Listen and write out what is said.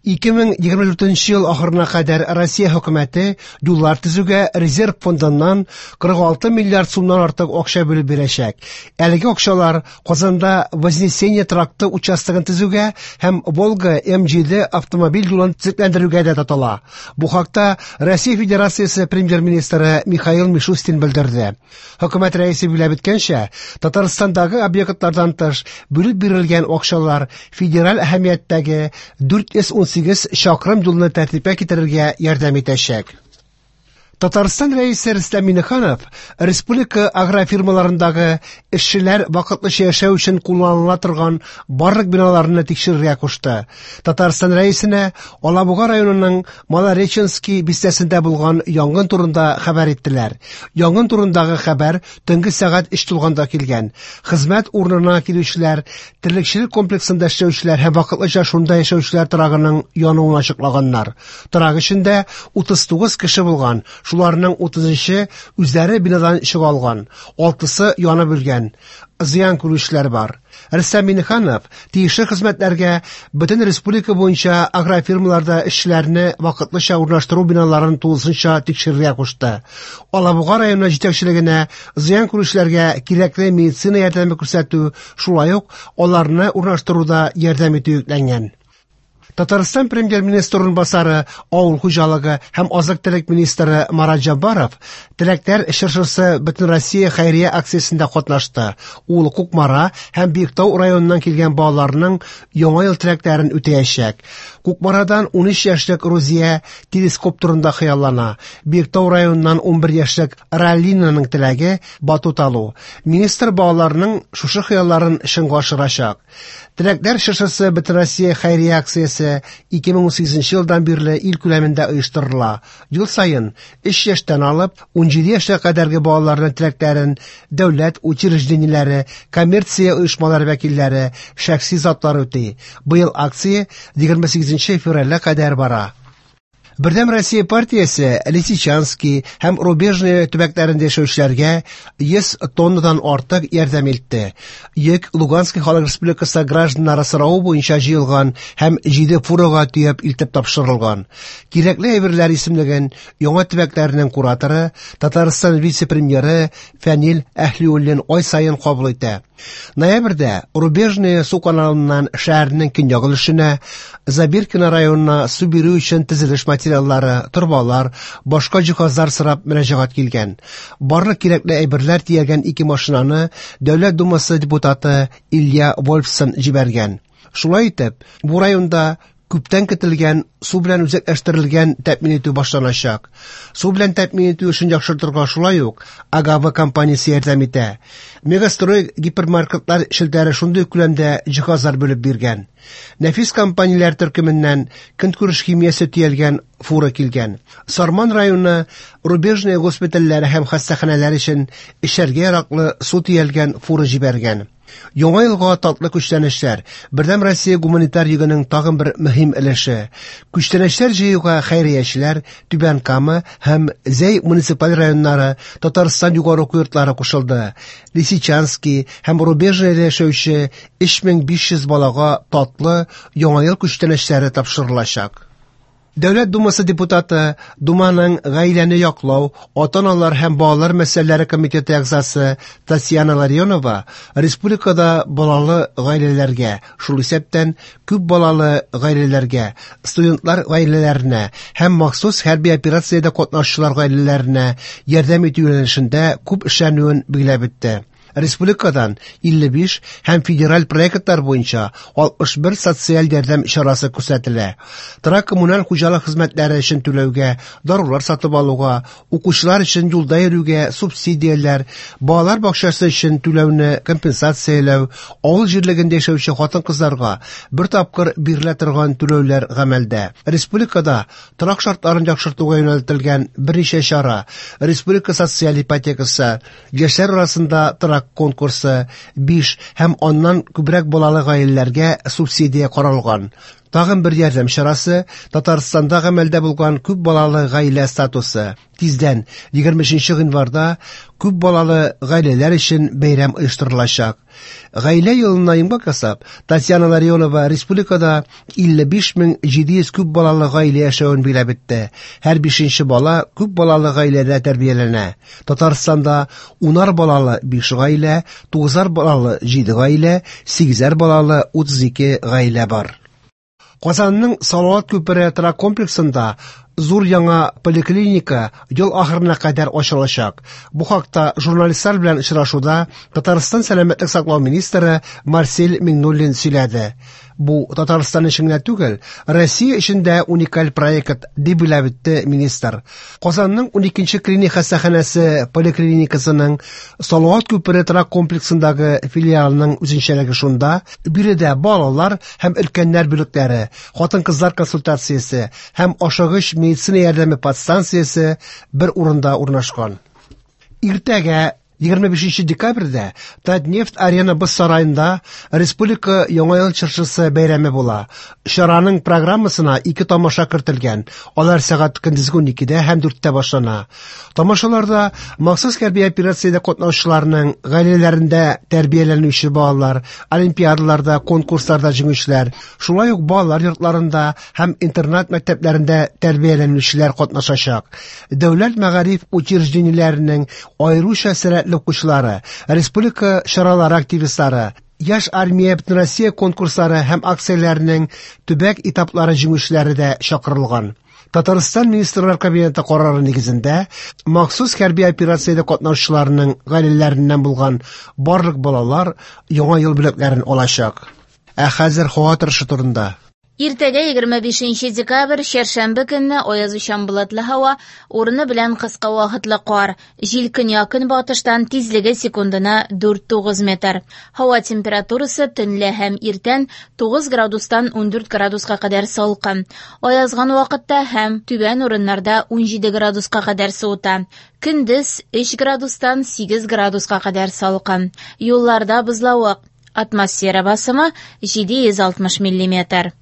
2024 ел ахырына кадәр Россия хөкүмәте юллар төзүгә резерв фондыннан 46 миллиард сумнан артык акча бүлеп бирәчәк. Әлеге акчалар Казанда Вознесение тракты участогын төзүгә һәм Волга М7 автомобиль юлын төзекләндерүгә дә тотыла. Бу хакта Россия Федерациясе премьер-министры Михаил Мишустин белдерде. Хөкүмәт рәисе билгеләп үткәнчә, Татарстандагы объектлардан тыш бүлеп бирелгән акчалар федераль әһәмияттәге 418 чакрым юлны тәртипкә китерергә ярдәм итәчәк. Татарстан Рәисе Рөстәм Миңнеханов республика агрофирмаларындагы эшчеләр вакытлыча яшәү өчен кулланыла торган барлык биналарны тикшерергә кушты. Татарстан Рәисенә Алабуга районының Малореченский бистәсендә булган янгын турында хәбәр иттеләр. Янгын турындагы хәбәр төнге сәгать 3 тулганда килгән. Хезмәт урынына килүчеләр, терлекчелек комплексында эшләүчеләр һәм вакытлыча шунда яшәүчеләр торагының януын ачыклаганнар. Торак эчендә 39 кеше булган, шуларның 33-е үзләре бинадан чыга алган, 6-сы янып үлгән. Зыян күрүчеләр бар. Рөстәм Миңнеханов тиешле хезмәтләргә бөтен республика буенча агрофирмаларда эшчеләрне вакытлыча урнаштыру биналарын тулысынча тикшерергә кушты. Алабуга районы җитәкчелегенә зыян күрүчеләргә кирәкле медицина ярдәме күрсәтү, шулай ук аларны урнаштыруда ярдәм итү йөкләнгән. Татарстан премьер-министры урынбасары, авыл хуҗалыгы һәм азык-төлек министры Марат Җаббаров Теләкләр чыршысы Бөтенроссия хәйрия акциясендә катнашты. Ул Кукмара һәм Биектау районыннан килгән балаларның Яңа ел теләкләрен үтәячәк. Кукмарадан 13 яшьлек Рузия телескоп турында хыяллана. Биектау районыннан 11 яшьлек Ралинаның теләге батут алу. Министр балаларның шушы хыялларын чынга ашырачак. Теләкләр чыршысы Бөтенроссия хәйрия акциясе 2018 елдан бирле ил күләмендә оештырыла. Ел саен 3 яшьтән алып 17 яшькә кадәрге балаларның теләкләрен дәүләт учреждениеләре, коммерция оешмалары вәкилләре, шәхси затлар үти. Быел акция 28 февральгә кадәр бара. Бердәм Россия партиясе Лисичанский һәм Рубежное төбәкләрендә яшәүчеләргә 100 тоннадан артык ярдәм илтте. Йөк Луганский Халык Республикасы гражданнары соравы буенча җыелган һәм 7 фурага төяп илтеп тапшырылган. Кирәкле әйберләр исемлеген яңа төбәкләрнең кураторы, Татарстан вице-премьеры Фәнил Әһлиуллин ай саен кабул итә. Ноябрьдә Рубежное су каналыннан шәһәрнең көньяк өлешенә, Забиркино районына су бирү өчен төзелеш материаллары, торбалар, башка җиһазлар сорап мөрәҗәгать килгән. Барлык кирәкле әйберләр төягән ике машинаны Дәүләт Думасы депутаты Илья Вольфсон җибәргән. Шулай итеп, бу районда күптән көтелгән су белән үзәкләштерелгән тәэмин итү башланачак. Су белән тәэмин итү эшен яхшыртырга шулай ук Агава компаниясе ярдәм итә. Мегастрой гипермаркетлар челтәре шундый күләмдә җиһазлар бүлеп биргән. Нәфис компанияләр төркеменнән көнкүреш химиясе төялгән фура килгән. Сарман районы Рубежное госпитальләре һәм хастаханәләр өчен эчәргә яраклы су төялгән фура җибәргән. Яңа елга татлы күчтәнәчләр Бердәм Россия гуманитар йөгенең тагын бер мөһим өлеше. Күчтәнәчләр җыюга хәйриячеләр Түбән Кама һәм Зәй муниципаль районнары, Татарстан югары уку йортлары кушылды. Лисичанский һәм Рубежныйда яшәүче 3500 балага татлы Яңа ел күчтәнәчләре тапшырылачак. Дәүләт Думасы депутаты, Думаның гаиләне яклау, ата-аналар һәм балалар мәсьәләләре комитеты әгъзасы Татьяна Ларионова республикада балалы гаиләләргә, шул исәптән күп балалы гаиләләргә, студентлар гаиләләренә һәм махсус хәрби операциядә катнашучылар гаиләләренә ярдәм итү юнәлешендә күп эшләнүен билгеләп үтте. Республикадан 55 һәм федераль проектлар буенча 61 социаль ярдәм чарасы күрсәтелә. Торак коммуналь хуҗалык хезмәтләре өчен түләүгә, дарулар сатып алуга, укучылар өчен юлда йөрүгә субсидияләр, балалар бакчасы өчен түләүне компенсацияләү, авыл җирлегендә яшәүче хатын-кызларга бер тапкыр бирелә торган түләүләр гамәлдә. Республикада торак шартларын яхшыртуга юнәлтелгән берничә чара, республика социаль ипотекасы, яшьләр арасында торак конкурсы, 5 һәм аннан күбрәк балалы гаиләләргә субсидия каралган. Тагын бер ярдәм чарасы Татарстанда гамәлдә булган күп балалы гаилә статусы. Тиздән, 23 гыйнварда, күп балалы гаиләләр өчен бәйрәм оештырылачак. Гаилә елына йомгак ясап, Татьяна Ларионова республикада 55 700 күп балалы гаилә яшәвен билгеләп үтте. Һәр бишенче бала күп балалы гаиләдә тәрбияләнә. Татарстанда унар балалы 5 гаилә, тугызар балалы 7 гаилә, сигезәр балалы 32 гаилә бар. Казанның Салават күпере торак комплексында зур яңа поликлиника ел ахырына кадәр ачылачак. Бу хакта журналистлар белән очрашуда Татарстан сәламәтлек саклау министры Марсель Миңнуллин сөйләде. Бу Татарстан өчен генә түгел, Россия өчен дә уникаль проект, дип билгеләп үтте министр. Казанның 12нче клиник хастаханәсе поликлиникасының Салават күпере торак комплексындагы филиалының үзенчәлеге шунда, биредә балалар һәм өлкәннәр бүлекләре, хатын-кызлар консультациясе һәм ашыгыч медицина ярдәме подстанциясе бер урында урнашкан. Иртәгә 25 декабрьдә Татнефть Арена боз сараенда Республика Яңа ел чыршысы бәйрәме була. Чараның программасына ике тамаша кертелгән. Алар сәгать көндезге 12-дә һәм 4-тә башлана. Тамашаларда махсус хәрби операциядә катнашучыларның гаиләләрендә тәрбияләнүче балалар, олимпиадаларда, конкурсларда җиңүчеләр, шулай ук балалар йортларында һәм интернат мәктәпләрендә тәрбияләнүчеләр катнашачак. Дәүләт мәгариф учреждениеләренең аеруча сәләтле укучылары, республика чаралары активистлары, Яшь армия Бөтенроссия конкурслары һәм акцияләренең төбәк этаплары җиңүчеләре дә чакырылган. Татарстан Министрлар Кабинеты карары нигезендә махсус хәрби операциядә катнашучыларның гаиләләреннән булган барлык балалар Яңа ел бүләкләрен алачак. Ә хәзер һава торышы турында. Иртәгә 25 декабрь, чәршәмбе көнне аязучан болытлы һава, урыны белән кыска вакытлы кар. Җил көньяк-көнбатыштан, тизлеге секундына 4-9 метр. Һава температурасы төнлә һәм иртән 9 градустан 14 градуска кадәр салкын. Аязган вакытта һәм түбән урыннарда 17 градуска кадәр суыта. Көндез 3 градустан 8 градуска кадәр салкын. Юлларда бозлавык. Атмосфера басымы 760 миллиметр.